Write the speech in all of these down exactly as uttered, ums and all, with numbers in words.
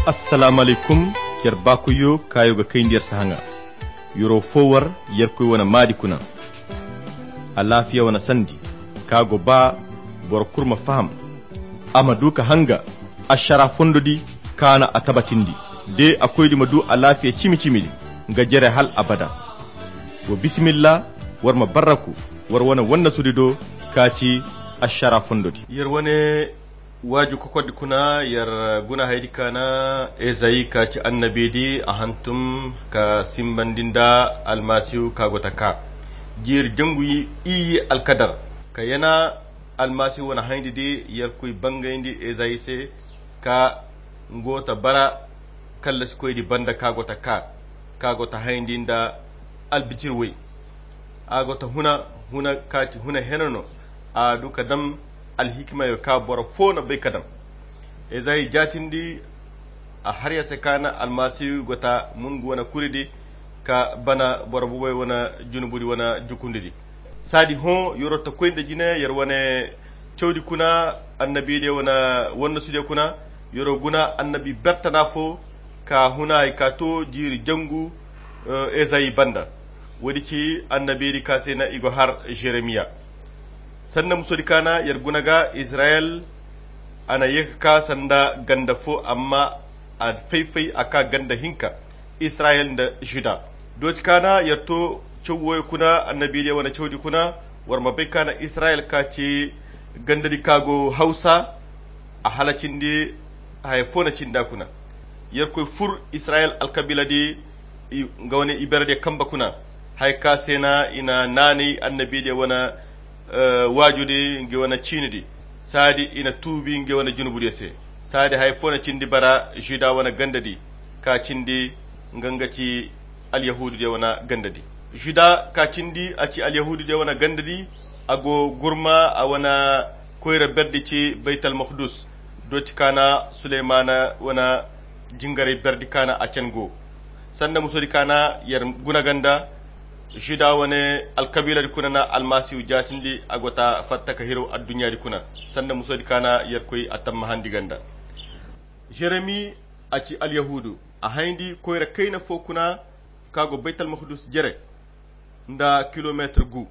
Assalaamu alaykum. Yer baakoyyo kaayo ga kayndi yer sahaŋa. Yero fo war yerkoy wane maadi kuna. Alaafiya wane sandi ka go ba boro kulu ma faham. A ma du ka hanga ašara fondo di kaana a tabatindi. De a koydi ma du alaafiya cimi-cimi di nga jere hal abada. Wa bisimilla, war ma barraku war wane wannasudi do ka ci ašara fondo di. Yer wane waaju kokordi kuna yer guna haydi kaana ezayi ka ci annabi di a hantum ka simbandi nda almasihu ka go ta ka jiiri jangu iyye alkadar ka yana almasihu wane hayndi di yerkoy bangayndi ezayi se ka ngo ta bara kallasikoydi banda ka go ta ka ka go ta hayndi nda albijirwey. A go ta huna huna ka ci huna hene no a du ka dam alhikimayo ka boro fo na bay ka dam. Ezayi jaatindi a har ya se kaana almasihu go ta mun ga wane kuri di ka bana boro bubey wane junubu di wane jukundi di. Saadi hõ yero ta koy nda jine yer wane cawdi kuna annabi diya wane wannasudiya kuna yero guna annabi bertana fo ka huna hay ka to jiiri jangu ezayi banda. Woodi ci annabi di ka se na i go har jeremiya. Sanda musodi kaana yer guna ga izirayel a na ye ka ka sanda ganda fo amma a fay-fay a ka ganda hinka. Israyel nda juda dooti kaana yer to caw wooyo kuna annabidiya wane cawdi kuna. War ma bay kaana israyel ka ci gandadi ka go hawsa a hala cindi haya fo na cinda kuna. Yer koy fur israyel alkabila di nga wane iberediya kamba kuna haya ka se na i na naanay annabidiya wane waajudi ngi wane ciinidi. Saadi i na tuubi ngi wane junubudiya se. Saadi haya fo na cindi bara juda wane gandadi ka cindi nga nga ci alyahuududiya wane gandadi. Juda ka cindi a ci alyahuududiya wane gandadi. A go gurma a wane koyra berdi ci baytal makdus. Dooti kaana suleymana wane jingaray berdi kaana a can go. Sanda musodi kaana yer guna ganda juda wane alkabiiladi kuna na almasihu jaatindi a go ta fatta ka hiraw adduɲɲaadi kuna. Sanda musodi kaana yer koy a tammahandi ganda jeremi a ci alyahuudu a hayndi koyra kayna fo kuna ka go baytal makdus jere nda kilomeetir gu.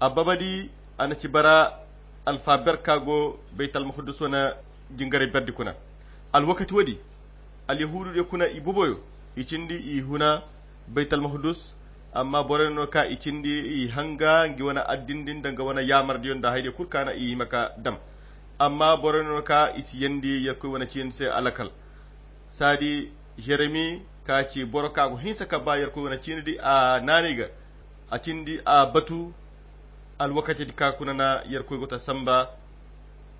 A babadi a na ci bara alfaber ka go baytal makdus wane jingaray berdi kuna. Alwakati woodi alyahuududiyo kuna i boboyo i cindi i huna baytal makdus. Amma borey no ka i cindi i hanga ngi wane addindi nda nga wane yaamardiyo nda haydiyo kulu kaana i hima ka dam. Amma borey no ka i si yandi yerkoy wane ciindi se alakal. Saadi jeremi ka ci boro ka go hinsa ka ba yerkoy wane ciindi a naanay ga a cindi a batu. Alwakatidi ka kuna na yerkoy go ta samba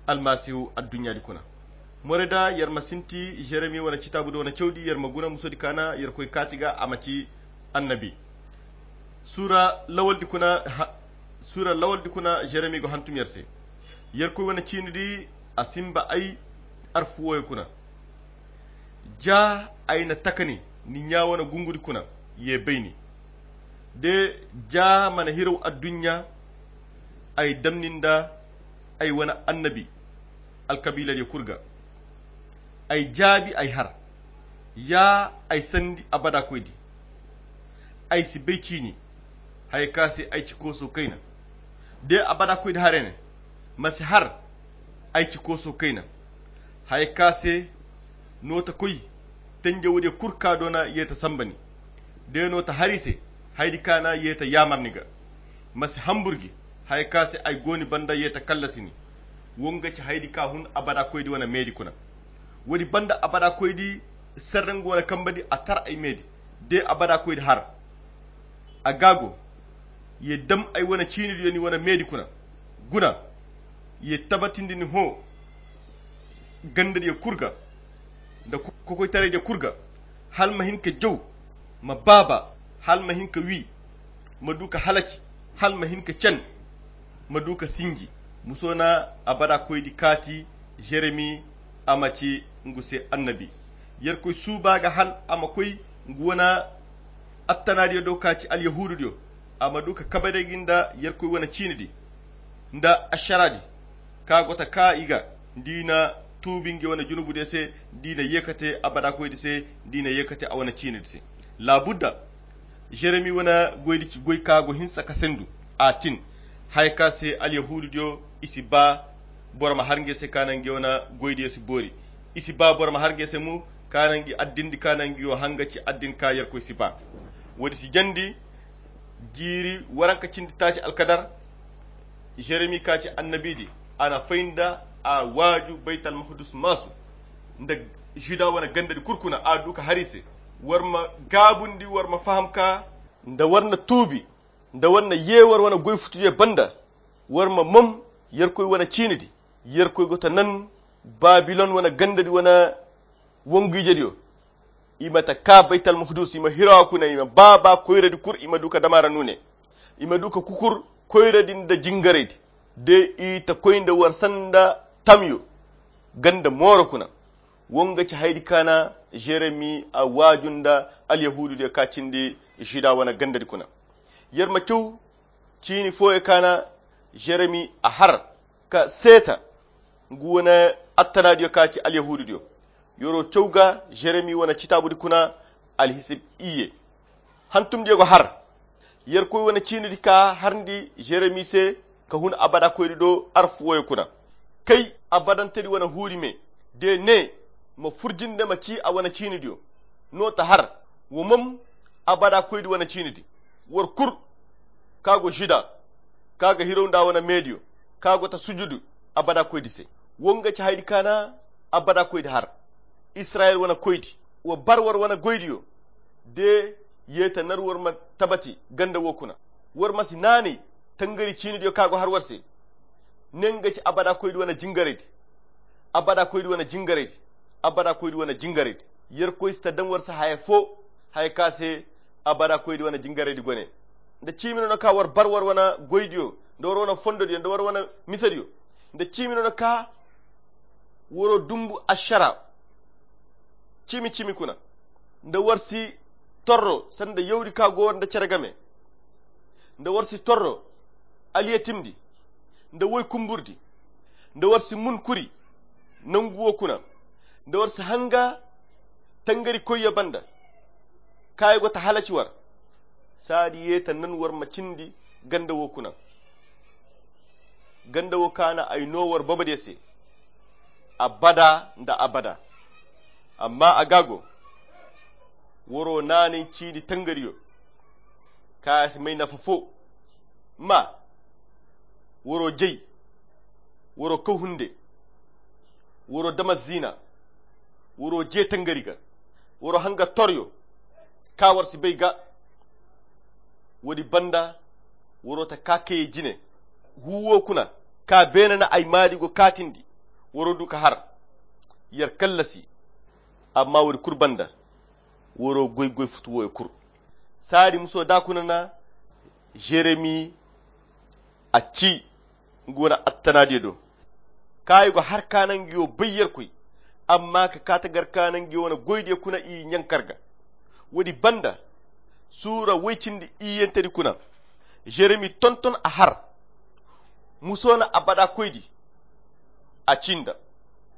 almasihu adduɲɲaadi kuna. Morey da yer ma sinti jeremi wane citaabu do wane cawdi yer ma guna musodi kaana yerkoy kaati ga a ma ci annabi. Suura lawaldi kuna jeremi go hantum yer se. Yerkoy wane ciinidi a simba ay arfu wooyo kuna. Ja ay na takani ni ɲaa wane gungudi kuna ye bayni. De ja mana hiraw adduɲɲa ay damni nda ay wane annabi alkabiiladiyo kulu ga. Ay jaabi ay har ya ay sandi abada koydi. Ay si bay ciini haya ka se ay ci kooso kayna. De abada koydi haray ne ma si har ay ci kooso kayna. Haya ka se no ta koy tenjawadiyo kulu ka doona ye ta samba ni. De no ta har i se haydi kaana ye ta yaamar ni ga. Ma si hambur gi haya ka se ay go ni banda ye ta kallasi ni. Wo nga ci haydi ka hun abada koydi wane meedi kuna. Woodi banda abada koydi serre nga wane kambadi a tar ay meedi. De abada koydi har a gaago ye dam ay wane ciinidiyo ni wane meedi kuna. Guna ye tabatindi ni hõ gandadiyo kulu ga nda kokoytaraydiyo kulu ga. Hala ma hin ka jaw ma baaba hala ma hin ka wi ma du ka halaci hala ma hin ka can ma du ka sinji. Muso na abada koydi kaati jeremi a ma ci ngu se annabi. Yerkoy suuba ga hal a ma koy ngu wane attanaadiyo do ka ci alyahuududiyo a ma du ka kabe day gi nda yerkoy wane ciinidi nda ašaraadi ka go ta ka i ga nda i na tuubi nga wane junubu de se, da i na yeekate abada koy di se, da i na yeekate a wane ciini di se. Laabudda jeremi wane goy di ci goy ka go hinsa ka sendu. A tin haya ka se alyahuudu diyo i si ba boro ma har nga se ka naŋ nga wane goy diyo si boori. I si ba boro ma har nga se mo ka naŋ nga addin di ka naŋ nga yo hanga ci addin ka yerkoy si ba. Wo- di si jandi jiiri waranka cindi taaci alkadar. Jeremi ka ci annabi di, a na fay nda a waaju baytal mahadus maasu nda juda wane ganda di kulu kuna a du ka har i se. War ma gaabundi war ma faham ka nda war na tuubi nda war na ye war wane goy futudiyo banda. War ma mom yerkoy wane ciini di. Yerkoy go ta nan babilon wane ganda di wane wangu ije diyo. I ma ta ka baytal mahadus i ma hirawa kuna i ma baaba koyra di kulu i ma du ka damaara nuune. I ma du ka kukur koyra di nda jingaray di de i ta koy nda war sanda tamyo ganda mooro kuna. Wo nga ci haydi ka na jeremi a waaju nda alyahuudu diyo ka cindi juda wane ganda di kuna. Yer ma caw ciini fooyo ka na jeremi a har ka seeta ngu wane attanaadiyo ka ci alyahuudu diyo. Yoro caw ga jeremi wane citaabu di kuna alhisib iyye. Hantumdiyo go har yerkoy wane ciini di ka harndi jeremi se ka hun abada koy di do arfu woyo kuna. Kay abadante di wane huuri me de ne ma furjinde ma ci a wane ciini diyo. No ta har wo mom abada koy di wane ciini di. War kulu ka go juda ka ga hiraw nda wane meediyo ka go ta sujudu abada koy di se. Wo nga ci haydi ka na abada koy di har israyil wane koy di. Wa bar war wane goy diyo de ye ta nar war ma tabati ganda wo kuna. War ma si naanay tangari ciini diyo ka go har war se. Ne nga ci abada koy di wane jingaray di. Abada koy di wane jingaray di. Abada koy di wane jingaray di. Yerkoy si ta daŋ war se haya fo haya ka se abada koy di wane jingaray di gone. Nda ciimi no na ka war bar war wane goy diyo nda war wane fondo diyo nda war wane misa diyo. Nda ciimi no na ka waro dumbu ashara ciimi ciimi kuna. Nda war si torro sanda yawdi ka go war nda cere game. Nda war si torro aliyatim di nda woy kumbur di. Nda war si mun kuri nangu wo kuna. Nda war si hanga tangari koyyo banda ka ay go ta halaci war. Saadi ye ta nan war ma cindi ganda wo kuna. Ganda wo ka na ay no war baba de se abada nda abada. Amma a ga go waro naanay ciidi tangariyo ka si may nafa fo. Ma waro jay waro kaw hunde waro dama zina waro je tangari ga waro hanga toryo ka war si bay ga. Wo- di banda waro ta ka kayey jine. Huwo kuna ka beene na ay maadi go kaatindi. Waro du ka har yer kallasi. Amma wo- di kulu banda waro goy goy futu woyo kulu. Saadi muso da kuna na jeremi a ci nga wane attanaadiyo do. Ka i go har ka naŋ nga yo bay yerkoy amma ka ka ta gar ka naŋ nga yo wane goydiyo kuna i ɲankar ga. Wo- di banda suura woy cindi iyyantedi kuna jeremi tonton a har. Muso na abada koydi a ci nda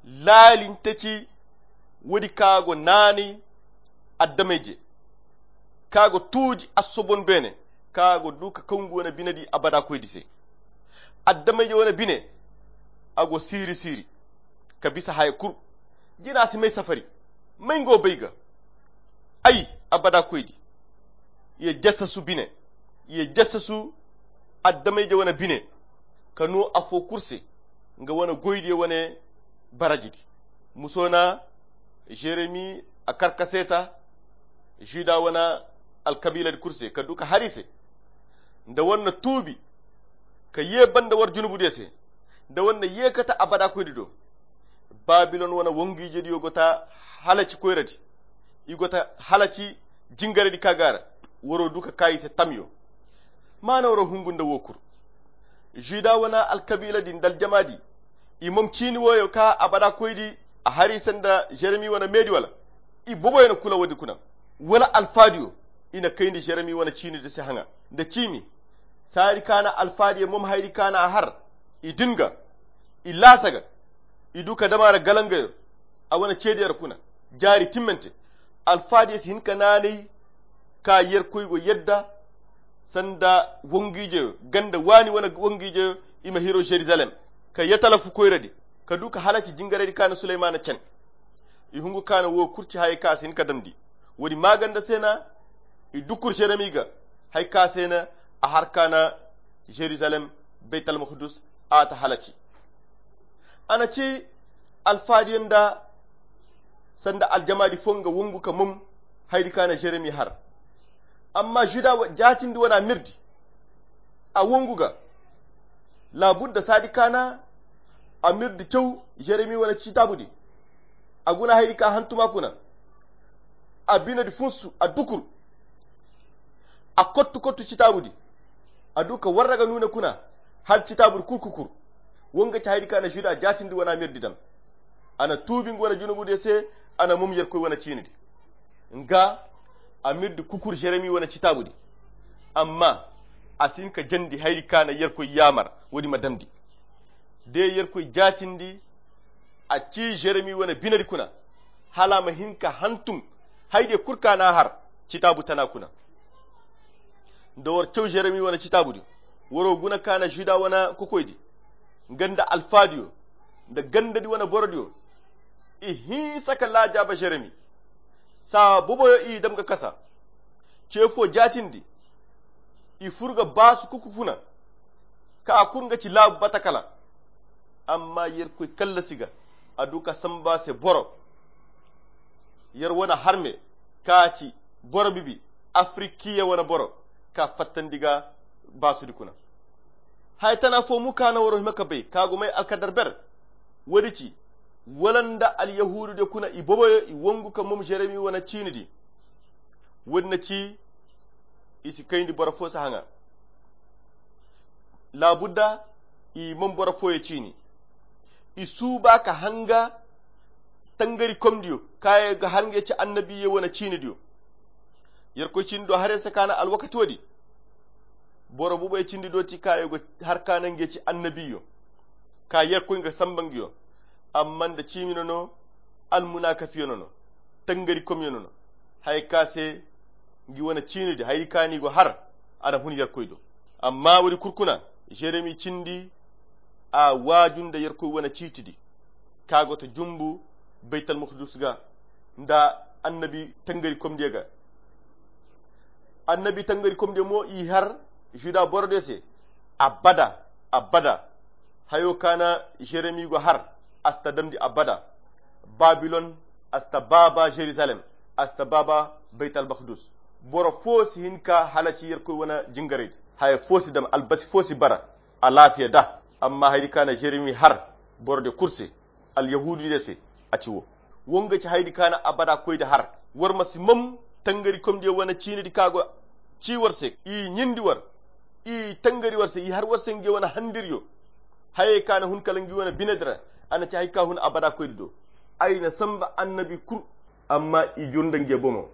laalinte ci. Wo- di ka go naanay addamayje ka go tuuji assobon beene ka go du ka kaw nga wane bine di abada koydi se. Addamayje wane bine a go siiri siiri ka bisa haya kulu. Jina si may safari may nga wo bay ga. Ay abada koydi ye jassasu bine ye jassasu addamayje wane bine ka no afo kulu se nga wane goydiyo wane baraji di. Muso na jeremi a kar ka seeta juda wane alkabiiladi kulu se ka du ka har i se nda war na tuubi ka ye banda war junubudiyo se nda war na ye kate abada koydi do. Babilon wane wangu-ijediyo go ta halaci koyradi. I go ta halaci jingaradi ka go a ra. Waro du ka ka i se tamyo. Maana waro hungu nda wo kulu juda wane alkabiiladi nda aljamaadi. I mom ciini woyo ka abada koydi a hari sanda jeremi wane meedi wala i boboyo na kula woodi kuna wala alfaadiyo i na kayndi jeremi wane ciinidi se haŋa nda ciimi. Saadi ka na alfaadiyo mom haydi ka na a har i din ga i laasa ga. I du ka dama ra galangayo a wane ceediyar kuna jaari timmante. Alfaadiyo si hin ka naanay ka yerkoy go yadda sanda wangiijeyo ganda waani wane wangiijeyo i ma hiro jerusalem ka yatalafu koyradi ka du ka halaci jingaraydi kaana suleymaana cen. I hungu kaana wo kurci hayey ka si hin ka damndi. Woodi maaganda se na i dukur jeremi ga hay ka se na a har kaana jerusalem baytalmukdus a ta halaci. A na ci alfaadiyo nda sanda aljamaadi fo nga wongu ka mom haydi kaana jeremi har. Amma juda jaatindi wana mirdi a wongu ga laabudda saadi kaana a mirdi caw jeremi wane citaabudi. A guna haydi ka hantuma kuna a binadi funsu a dukur a kottu kottu citaabudi. A du ka warra ga nuuna kuna hal citaabudi kurkukur. Wonga ci haydi kaana juda jaatindi wana mirdi dan a na tuubi nga wane junubudiyo se. A na mum yerkoy wane ciinidi nga a mirdi kukur jeremi wane citaabudi. Amma a si hin ka jandi hayri kaana yerkoy yaamar woodi ma damndi. De yerkoy jaatindi a ci jeremi wane binadi kuna hala a ma hin ka hantum haydiyo kul kaana har citaabu tana kuna. Nda war caw jeremi wane citaabudi waro guna kaana juda wane kokoydi nga nda alfaadiyo nda gandadi wane borodiyo. I hinsa ka laajaaba jeremi saa boboyo i dam ga kasa. Ce fo jaatindi i fur ga baasu kuku kuna ka kur nga ci laabu batakala. Amma yerkoy kallasi ga a du ka samba se boro yer wane harme ka ci boro bibi afrikiya wane boro ka fattandi ga baasudi kuna. Haya tana fo mu kaana waro hima ka bay ka go may alkadar ber. Woodi ci wala nda alyahuudu de kuna i boboyo i wongu ka mom jeremi wane ciinidi. Woodi na ci i si kayndi boro fo si haŋa. Laabudda i mom boro fooyo ciini i suuba ka hanga tangarikomdiyo kaŋ a ga har nga ci annabiyo wane ciinidiyo. Yerkoy cindi do haray se kaana alwakati woodi boro buboy cindi do ti kaŋ a ga har kaana nga ci annabiyo ka yerkoy nga samba nga yo. Amma nda ciimi no no almunakafiyo no no tangarikomyo no no haya ka se ngi wane ciinidi hayri kaani go har a na hun yerkoy do. Amma woodi kul kuna jeremi cindi a waaju nda yerkoy wane ciitidi ka go ta jumbu baytalmukdus ga nda annabi tangarikomdiyo ga. Annabi tangarikomdiyo mo i har juda borodiyo se abada abada. Hayo kaana jeremi go har a si ta damndi abada. Babilon a si ta baaba jerusalem a si ta baaba baytalmukdus. Boro foo si hin ka halaci yerkoy wane jingaraydi haya foo si dam albasi foo si bara. Alaafiya da amma haydi kaana jeremi har borodiyo kul se alyahuududiyo se a ci wo. Wo nga ci haydi kaana abada koydi har war ma si mom tangarikomdiyo wane ciinidi ka go ci war se i ɲindi war i tangari war se i har war se ngi wane handiryo. Hayey kaana hun kala ngi wane binedi ra a na ci hay ka hun abada koydi do. Ay na samba annabi kul amma i jur nda ngi bomo.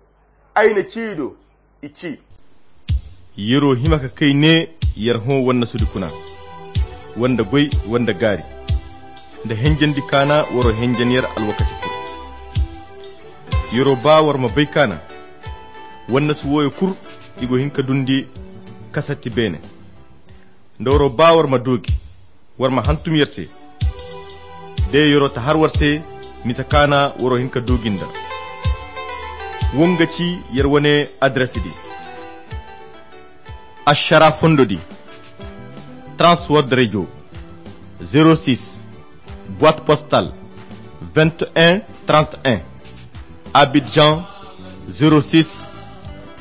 Ay na ci i do i ci. Yer'o hima ka kay ne yer hõ wannasudi kuna wanda goy wanda gaari nda henjendi kaana war'o henjen yer alwakati kul. Yer'o ba war ma bay kaana wannasu wooyo kul i go hin ka dundi kasatti beene. Nda war'o ba war ma doogi war ma hantum yer se. De yer'o ta har war se misa kaana war'o hin ka doogi nda. Wo nga ci yer wane adres di. Ašara fondo di transword radio zero six boîte postale vingt et un trente et un, abidjan zero six,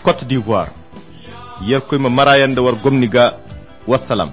côte d'ivoire. Yerkoy ma mara yer nda war gomni ga. Wassalam.